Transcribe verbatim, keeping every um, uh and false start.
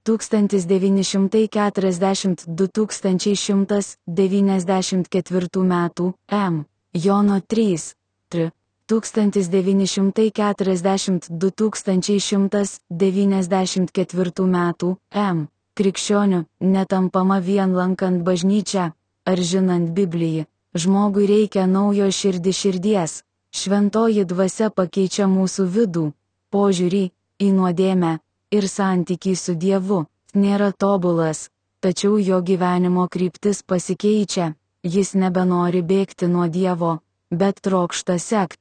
tūkstantis devyni šimtai keturiasdešimt du tūkstančiai šimtas devyniasdešimt ketvirtų metų M. Jono trys. Tr. tūkstantis devyni šimtai keturiasdešimt du tūkstančiai šimtas devyniasdešimt ketvirtų metų M. Krikščioniu netampama vien lankant bažnyčią ar žinant Bibliją. Žmogui reikia naujo širdį širdies. Šventoji dvasia pakeičia mūsų vidų, požiūrį į nuodėmę ir santykį su Dievu. Nėra tobulas, tačiau jo gyvenimo kryptis pasikeičia. Jis nebenori bėgti nuo Dievo, bet trokšta sekt